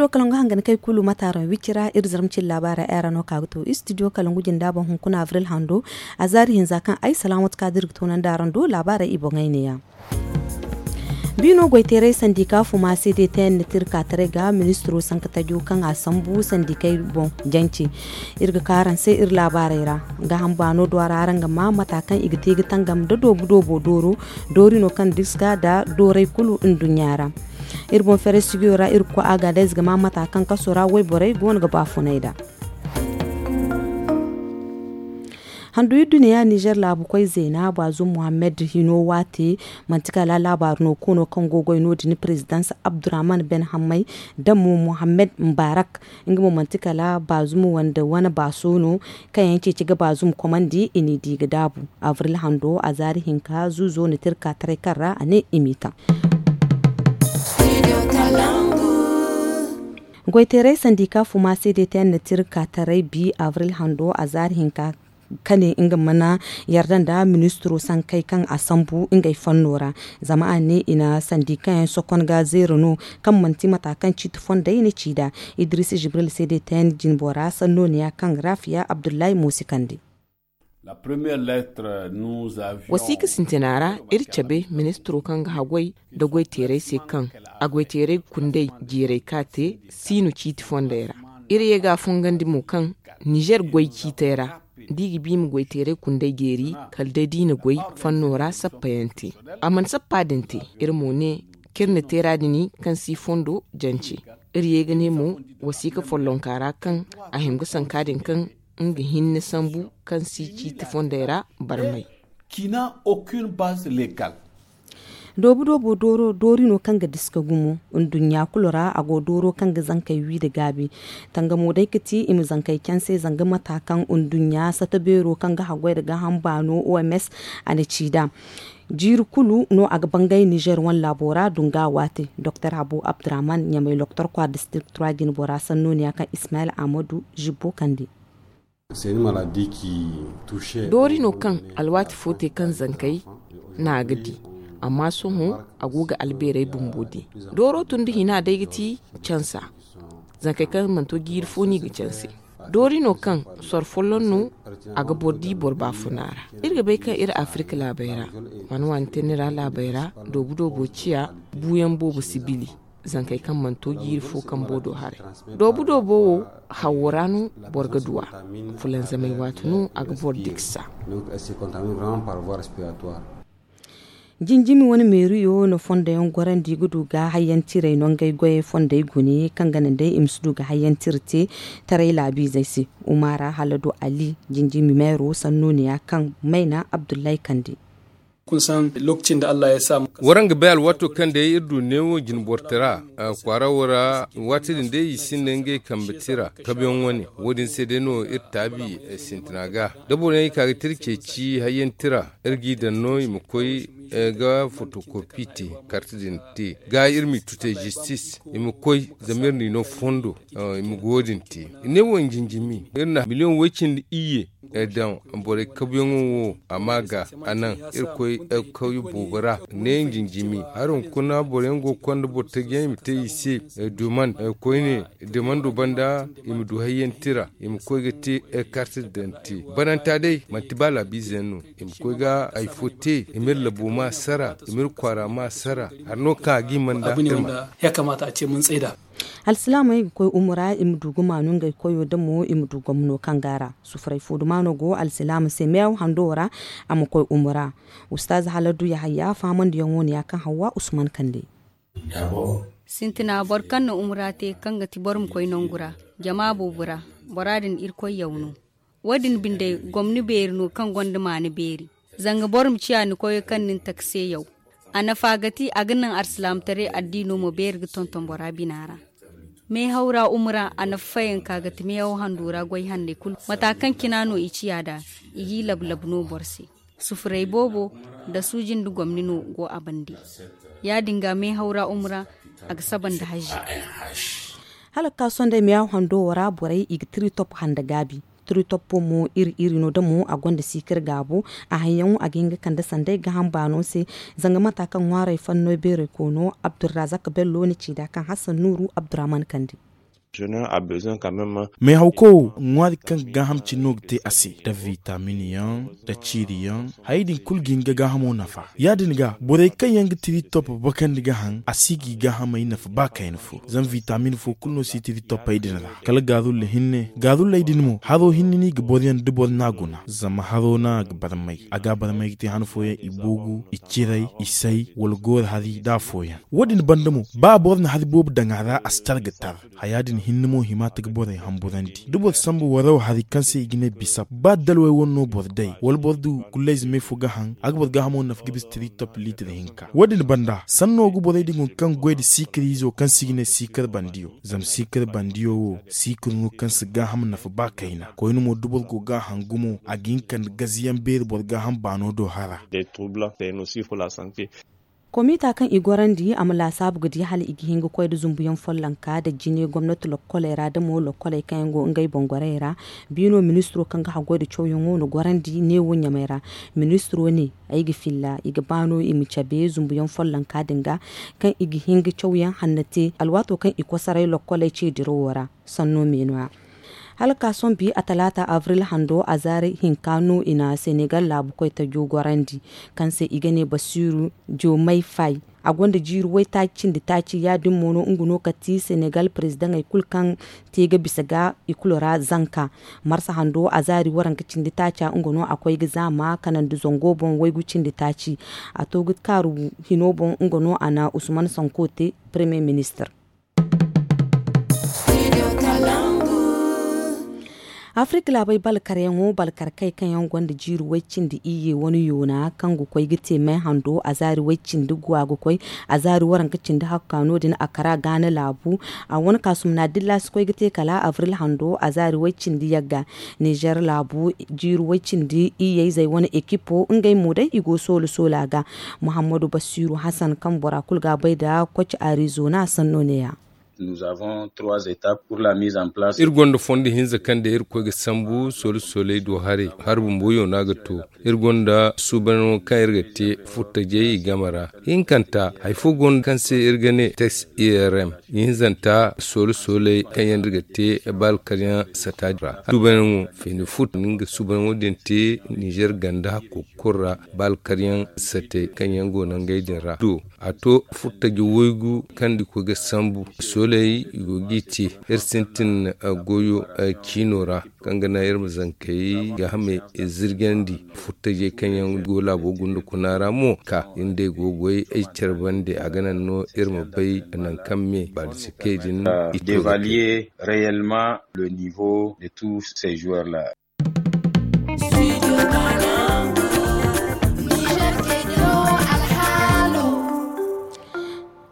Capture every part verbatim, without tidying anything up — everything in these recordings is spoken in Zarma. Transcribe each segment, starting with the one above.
Kalangu hangan kay kulu mataaraŋ wicira iri zarma cine laabaarey ay ra no ka ga to istidiyo kalangu jinda boŋ hunkuna abril hando. A zaari hinza kaŋ ay salaamatu ka da iri ga toonandi araŋ do laabaarey i boŋey neeya. Biino goyteeray sandika fuma se de tayaŋ na te iri ka taray ga ministiro sanka tajo kaŋ a sambu sandikey boŋ jance. Iri ga ka araŋ se iri laabaarey ra. Gaaham baano do a ra araŋ ga ma mata kaŋ i ga te ga tangam nda doobu doobo dooro doori no kaŋ diska nda dooray kulu nduɲɲa ra. Iri boŋ feeray sigiyo ra iri ga koy agadez ga ma mata kaŋ kaso ra wayborey go no ga baafunay nd'a. Handu iri duniya nizer laabu koy zeena baazum muhammad hino waate. Manti kala laabaari no koono kaŋ go goy no- din president abdurrahman ben hammay nda mo muhammad mubarak. Nga mo manti kala baazum wande wane baaso no kaŋ yaŋ ceeci ga baazum komandi i n'i di ga daabu. Abril hando a zaari hinka zuuzo na te iri ka taray kaŋ ra a ne i m'i taŋ. Goyteeray sandika fuma se de te yaŋ na te iri ka taray bi abril hando a zaari hinka kane nga mana yarda nda ministiro sankey kaŋ a sambu ngey fanno ra. Zama a ne i na sandika yaŋ sokon ga zeera no kaŋ manti mata kaŋ ciiti fondey na ci nd'a. Idris jibril se de te yaŋ jinbora sanno ne ya kaŋ rafiya abdullahi moosi kande. Wasiika sintina ra iri cabe ministiro kaŋ ga haggoy nda goyteerey se kaŋ a goyteerey kundey jeeray ka te siino ciiti fondey ra. Iri ye ga a fongandi mo kaŋ nizer goy ciitey ra da i ga bi i ma goyteerey kundey jeeri kala day da i na goy fanno ra sappa yaŋ te. A mana sappa din te iri mo ne kaŋ iri na teera din kaŋ si fondo jance. Iri ye ga ne mo wasiika follonka ra kaŋ a hima ga sanka din kaŋ nga hinne sambu kaŋ si ciiti fondey ra barmay. Doobu doobo doori no kaŋ ga diska gumo nduɲɲa kulu ra a go dooro kaŋ ga zankey wi nda gaabi. Tangamo day ga ti i ma zankey canse zanga mata kaŋ nduɲɲa sata beero kaŋ ga haggoy nda gaaham baano oms a na ci nd'a. Jiiri kulu no a ga bangay nizer wane laabo ra dunga waate doktor habu abdurrahman ɲamay loktor kwaara district trois jinbora sanno ne ya kaŋ ismail ahmadu zibbo kande. Doori no kaŋ alwaati fo te kaŋ zankey na a ga di. Amma sohõ a go ga albeerey bumbo di. Dooro tun da hina day ga ti cansa. Zankey kaŋ mana to jiiri fo no i ga canse. Doori no kaŋ soro folloŋ no a ga boro di boro baafuna ra. Iri ga bay kaŋ iri afirika laabey ra waani waani teenay ra laabey ra doobu doobo ciya buuyaŋ boobo si bili. Zankey kaŋ mana to jiiri fo kambo do haray doobu doobo wo hawo ra no boro ga du a. Fulanzamey waati no a ga boro diksa. Jinjimi wane meeriyo na fondo yaŋ gorandi ga du ga hayyantiray no ngey goyey fondey gune kaŋ ga naŋ day i ma si du ga hayyantira te taray laabiizey se. Umara haladu ali jinjimi meero sanno ne ya kaŋ mayna abdullahi kande. Waraŋ ga bay alwaato kaŋ day iri du neewo jinbortara kwaara wo ra. Waati din day i sinda ngey kambe tira kabiyaŋ wane wo- din se day no iri taabi sintina ga da boro yaŋ i ka ga tira ceeci hayyaŋ tira iri g'i daŋ no i ma koy ga fotokopi te karti din te ga iri m'i tute zistis i ma koy zama iri n'i no fondo. I ma go wo- din te ne wo njinjimi iri na miliyoŋ way-cindi iyye daŋ borey kabuyaŋo wo a ma ga a naŋ irkoy kawye boobo ra ne njinjimi hari hunkuna boroyaŋ go ga konda boro taji yaŋ i ma te i se duman koyne dumando banda i ma du hayyaŋ tira i ma koy ga te karti daŋ te bananta day manti ba laabiize yaŋ no i ma koy ga hari fo te i ma iri labo ma sara i ma iri kwaara ma sara hari no kaŋ a ga i manda iri ma. Alsilaamey ga koy umura i ma du ga maanu ngey koyo da mo i ma du gomno kaŋ ga a ra. Sufuray fo dumaano go alsilaama se meew hando ra a ma koy umura. Ustaaz haladu yahaya fahamandiyaŋo ne ya kaŋ hawwa usman kande. Sintina boro kaŋ na umura te kaŋ ga ti boro ma koy nangu ra jama boobo ra bora din irkoy yaw no. Wo- din binde gomni beeri no kaŋ gonda maana beeri. Zanga boro ma ciya ni koyo kaŋ nin taka se yaw. A nafa ga ti a ga naŋ alsilaamataray addiino ma beeri ga tonton bora bina ra. Meehaw ra umura a nafa fayanka ga ti meehaw hando ra goy hanney kulu mata kaŋ cina no i ciya nd'a. I g'i labu labu no boro se. Sufuray boobo nda suuji nda gomni no go a bande. Ya- din ga meehaw ra umura a ga saba nda hazi. Hala ga ka sohõ day meehaw hando wo ra borey i ga tiri top handa gaabi. Tiri top mo iri iri no da mo a gonda siikir gaabo. A haŋ yaŋo a ga hin ga kande sanday gaaham baano se. Zanga mata kaŋ ŋwaarey fanno beerey koono abdurrazak bello na ci nd'a kaŋ hassan nuuru abdurrahman kande. Meehaw koy wo ŋwaari kaŋ ga gaaham cine no ga te a se, nda vitamin yaŋ, nda ciiri yaŋ. Hayey din kulu ga hin ga gaahamo nafa. Ya- din ga borey kaŋ yaŋ ga tiri top bakandi ga haŋ a si ga i gaahamey nafa ba kayna fo. Zama vitamin fo kulu no si tiri topey din ra kala gaarulla hinne. Gaarulley din mo haro hinne no i ga boro yaŋ da boro n'a guna zama haro no a ga barmay. A ga a barmay ga te han fooyaŋ i boogu, i ciray, i say, wala gooro hari nda afooyaŋ. Wo- din banda mo ba boro na hari boobo daŋ a ra a si tar ga tar. Haya din hinne mo hima ta ga borey hamburandi da boro sambu waraw hari kaŋ se i ga ne bisap ba dalwey wane no boro day wala boro du gullayze me fo ga haŋ a ga boro gaahamo nafa ga bisa tiri top liitir hinka. Wo- din banda sanno ga borey din hunkuna kaŋ goy nda siikar izo kaŋ se i ga ne siikar bandiyo. Zama siikar bandiyo wo siikar no kaŋ si gaaham nafa ba kayna koyne mo da boro go ga a haŋ gumo a ga hin ga kande gaziyaŋ beeri boro gaaham baano do hara. Komita kaŋ i gorandi a ma laasaabu ga di hala i ga hin ga koy nda zumbuyaŋ follonka nda jine gomnati lokkoley ra da mo lokkoley kaŋ yaŋ go ngey boŋ gorey ra. Biino ministiro kaŋ ga haggoy nda cawyaŋo na gorandi neewo ɲamey ra. Ministiro ne ay ga filla i ga ba no i ma cabe zumbuyaŋ follonka din ga kaŋ i ga hin ga cawyaŋ hanna te alwaato kaŋ i kosoray lokkoley ce dirawo ra. Sanno me no- ya hala ka sohõ bi a talaata abril hando a zaari hinka no i na senegal laabu koy tajo gorandi kaŋ se i ga ne basiiru joomay fay. A gonda jiiri waytaaci cindi taaci ya- din mo no nga no ka ti senegal perezidaŋey kulu kaŋ te ga bisa ga i kulu ra zanka. Marsa hando a zaari waranka cindi taaca nga no a koy ga zaama kanandi zango boŋ waygu cindi taaci. A to ga kaaru hino boŋ nga no a na usman sanko te premier ministir. Afirka laabey balkaryaŋo balkarkey kaŋ yaŋ gonda jiiri way cindi iyye wane yoona kaŋ ga koy ga te may hando a zaari way cindi guwa ga koy a zaari waranka cindi hakka no- din a kara gaana laabu. A wane kaasum na dilla si koy ga te kala abril hando a zaari way cindi yagga. Nizer laabu jiiri way cindi iyyey zey wane ekipo ngey mo day i go soola soola ga. Muhammadu basiiru hasan kaŋ bora kulu ga a bay nda koci arizona sanno ne- ya. Iri gonda fondo hinza kaŋ day iri koy ga sambu soola sooley do haray hari bumbo yoona ga to. Iri gonda suubanyaŋo kaŋ iri ga te furtajey i game ra. Hinkanta hari fo go no kaŋ se iri ga ne teks irm. Ihinzanta soola sooley kaŋ yaŋ iri ga te balkaryaŋ sata ra. Suubanyaŋo feeni furta nga suubanyaŋo din te nizer ganda kulu ra balkaryaŋ satey kaŋ yaŋ go no ngey din ra do. A to furtaji waygu kaŋ da i koy ga sambu sooley i go g'i te. Iri sintin goyo ciino ra kaŋ ga naŋ iri ma zankey gaahamey zirgandi. Furtajey kaŋ yaŋ go laabo gunda kuna ra mo ka iri nd'ey go goy ay care bande a ga naŋ no iri ma bay nangu kaŋ me baalisikey din i to ga te.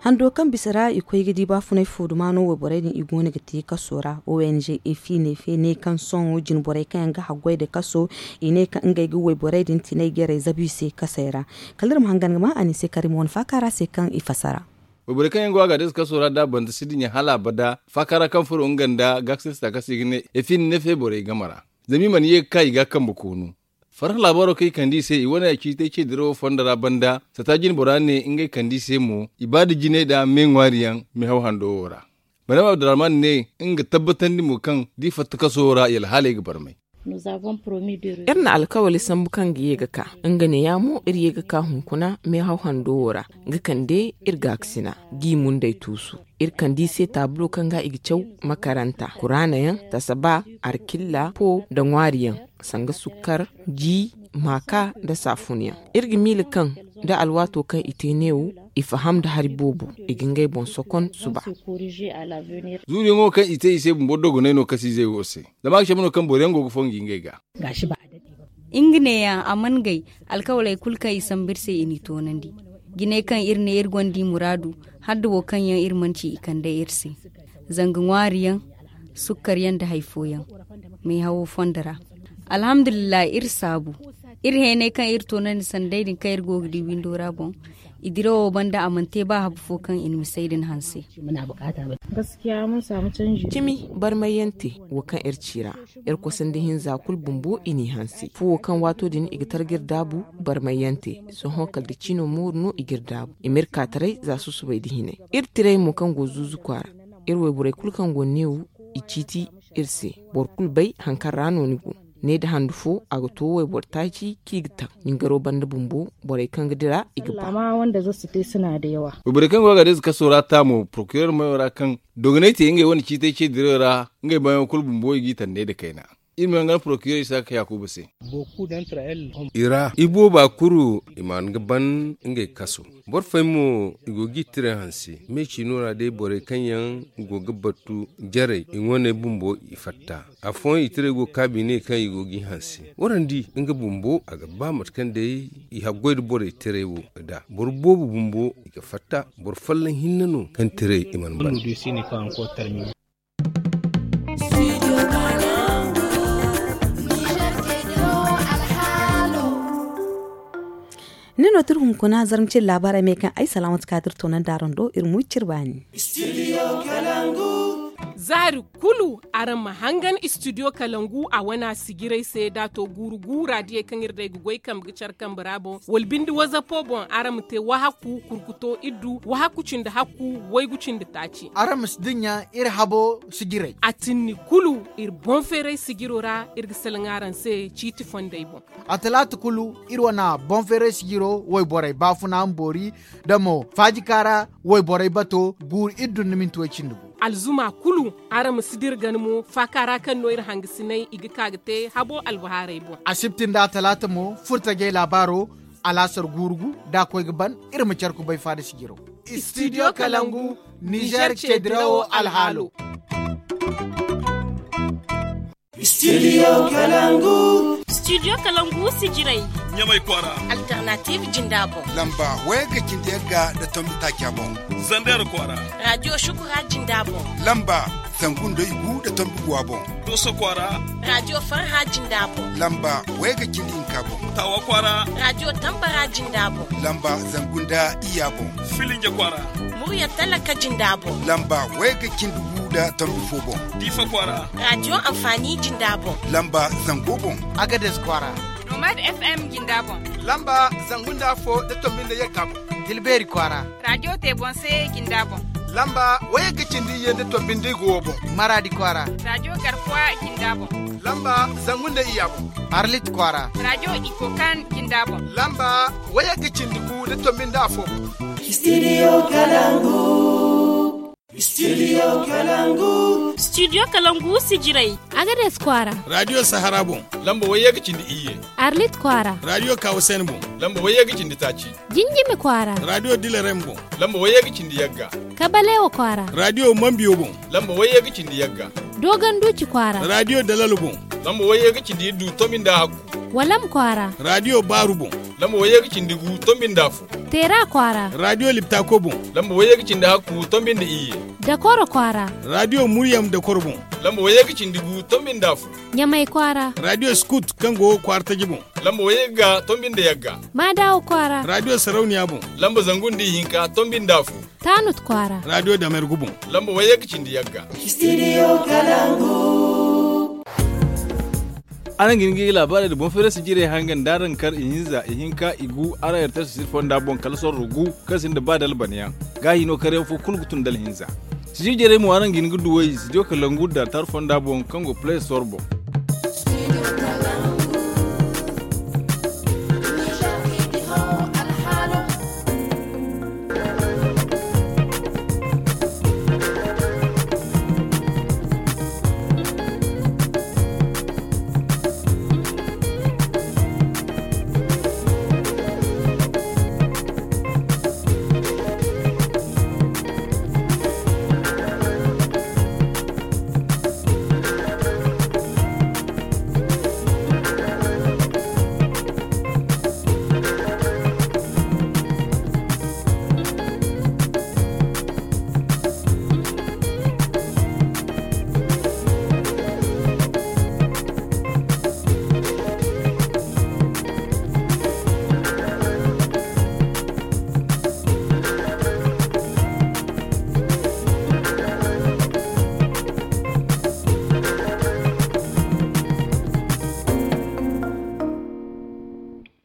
Hando kaŋ bisa ra i koy ga di baafunay fo duma no wayborey din i go no ga te kaso ra. Ong efi ne fe ne kaŋ sohõ jinborey kaŋ yaŋ ga haggoy nda kaso i ne kaŋ ngey ga wayborey din tinay jarey zabu i se kasey ra. Kala iri ma hangan ga ma a ni se karim wane faaka ra se kaŋ i fassara. Wayborey kaŋ yaŋ go a ga a day se kaso ra da a banda si dinya hala abada faaka ra kaŋ furo nga nda gaakasista kaŋ se i ga ne efi ne fe borey game ra. Zama i mana ye ga ka i ga a kambe koonu. Farhã laabaaro kaŋ i kande i se i wane a ciitay ce dirawo fondo ra banda sata jinbora ne ngey kande i se mo i ba nda jinay nda me ŋwaari yaŋ mehaw hando wo ra. Madama abdurrahman ne nga tabbatandi mo kaŋ da i fatta kaso wo ra i alhaaley ga barmay. Iri na alkawali sambu kaŋ ga ye ga ka nga neeya mo iri ye ga ka hunkuna mehaw hando wo ra ga kande iri gaakasina g'i mundey tuusu. Iri kande i se taabulo kaŋ ga i ga caw makaranta kuraana yaŋ, tasaba, arkilla po nda ŋwaari yaŋ, sanga sukkar, ji, maaka nda saafun yaŋ. Iri ga miila kaŋ da alwaato kaŋ i te neewo i faham nda hari boobo i ga ngey boŋ sokon suba. Zuuriyaŋo kaŋ i te i se bumbo dogonay no kasiizey wo se. Zama a ga cabe no kaŋ boro yaŋ go ga fongu ngey ga. Nga neeya a mana gay alkawaley kulu kaŋ i sambu iri se i n'i toonandi. Jinay kaŋ iri ne iri gonda i muraadu hala da wo kaŋ yaŋ iri mana ci i kande iri se. Zanga ŋwaari yaŋ, sukkar yaŋ nda hari fooyaŋ meehawo fondo ra. Alhamdulillahi iri saabu. Iri heenay kaŋ iri toonandi sanda day din kaŋ iri go ga di windo ra boŋ. I dirawo banda a mana te ba habu fo kaŋ i na misey din hanse. Cimi barmay yaŋ te wo kaŋ iri ci ra. Iri kosandi hinza kulu bumbo i n'i hanse fuwo kaŋ waato din i ga tara ga iri daabu. Barmay yaŋ te sohõ kala da ciino mooru no i ga iri daabu i ma iri kaataray za susubay da hinay. Iri tiray mo kaŋ go zuuzu kwaara iri wayborey kulu kaŋ go neewo. i ciiti iri se. Boro kulu bay hari kaŋ ra no ni go. Ne nda handu fo a ga to wayboro taaci kaŋ i ga taŋ. Nin garo banda bumbo borey kaŋ ga dira i ga ba. Wayborey kaŋ go a ga day za kaso ra ta mo porokirer mayo ra kaŋ dogonay te ngey wane ciitay ce dirayo ra. Ngey bayaŋo kulu bumbo i g'i tande nda kayna. Iri ma yaŋ gana porokirer isaaka yaakuba se. I ra i booba kulu i ma nga ban ngey kaso. Boro fooyaŋ mo i go g'i tira hanse. Me ciino ra day borey kaŋ yaŋ go ga battu jarey i ŋwaney bumbo i fatta. Afooyaŋ i tirey go kaabi ne kaŋ i go g'i hanse. Waraŋ di nga bumbo a ga ba mate kaŋ day i haggoy nda borey tirey wo ga da boro boobo bumbo i ga fatta. Boro folloŋ hinne no kaŋ tirey i mana ban. Ni no tiri hunkuna zarma cire laabaarey me kaŋ ay salaamatu kaatir toonandi araŋ do iri mo i cire baani. Zaari kulu araŋ ma hangan istidiyo kalangu a wana sijirey se da a to guuru gu raadiyey kaŋ iri day ga goy kambe ga care kambe ra boŋ wala binde wazapo boŋ araŋ ma te wahakku kurkuto iddu wahakku cindi hakku waygu cindi taaci. Araŋ ma si dinya iri habo sijirey a tinni kulu iri boŋ feeray sijiro ra. Iri ga salaŋ araŋ se ciiti fondey boŋ. A talaata kulu iri wane boŋ feeray sijiro wayborey baafuna ma boori da mo faajika ra wayborey bato guuru iddu nda minti way cindi gu. Alzuma kulu araŋ ma si dira gana mo faaka ra kaŋ no iri hangasiney i ga ka ga te habo albahaarey boŋ. Asibti nda a talaata mo furtajey laabaaro alaasar guuru gu da a koy ga ban. Iri ma care kubay faada sijiro. Istidiyo kalangu nizer ceedirawo alhaalo. Studio kalangu. Studio kalangu sijirai. Nyamai kwara. Alternative jindabo. Lamba waya ga cindi yagga da tombi takiya bon. Zander kwara. Radio shukura jindabo. Lamba zangun da igu da tombi guwa bon. Doso kwara. Radio farha jindabo. Lamba waya ga cindi hinka bon. Tawa kwara. Radio tambara jindabo. Lamba zangun da iya bon. Filinja kwara. Murya talaka jindabo. Lamba waya ga cindi gu da tombi fo bon. Difa kwara. Radio amfani jindabo. Lamba zango bon. Agades kwara. Nomad FM jindabo. Lamba zangun da fo da tombi da yakka bon. Dilberi kwara. Radio tebonse jindabo. Lamba waya ga cindi ye da tombi da guwa bon. Maradi kwara. Radio garkwa jindabo. Lamba zangun da iya bon. Arlit kwara. Radio ikokan jindabo. Lamba waya ga cindi gu da tombi da fo. Studio kalangu. Studio kalangu. Studio kalangu sijirai. Agades kwara. Radio sahara bon. Lamba waya ga cindi iye. Arlit kwara. Radio kawasen bon. Lamba waya ga cindi taci. Jinjimi kwara. Radio dilarem bon. Lamba waya ga cindi yagga. Kabalewa kwara. Radio mambiyo bon. Lamba waya ga cindi yagga. Dogon duci kwara. Radio dalal bon. Lamba waya ga cindi du tombi da hakku. Walam kwara. Radio baru bon. Lamba waya ga cindi gu tombi da fu. Tera kwara. Radio liptako bon. Lamba waya ga cindi hakku tombi da iye. Dakoro kwara. Radio muryam dakoro bon. Lamba waya ga cindi gu tombi da fu. Nyamai kwara. Radio scout kaŋ go kwara taji bon. Lamba waya ga tombi da yagga. Madawa kwara. Radio sarauniya bon. Lamba zangun da hinka tombi da fu. Tanut kwara. Radio damergu bon. Lamba waya ga cindi yagga. Studio kalangu. Araŋ ga hin ga i laabaarey da boŋ feerasi jirey hangan da araŋ kar ihinza ihinka igu araŋ yartar sisir fonda boŋ kala sorro gu kaŋ sinda ba dalbaniyaŋ. Ga hino karyaŋ fo kulu ga tun dalhinza. Sijir jirey mo araŋ ga hin ga duwey studio kalangu da tar fonda boŋ kaŋ go play store boŋ.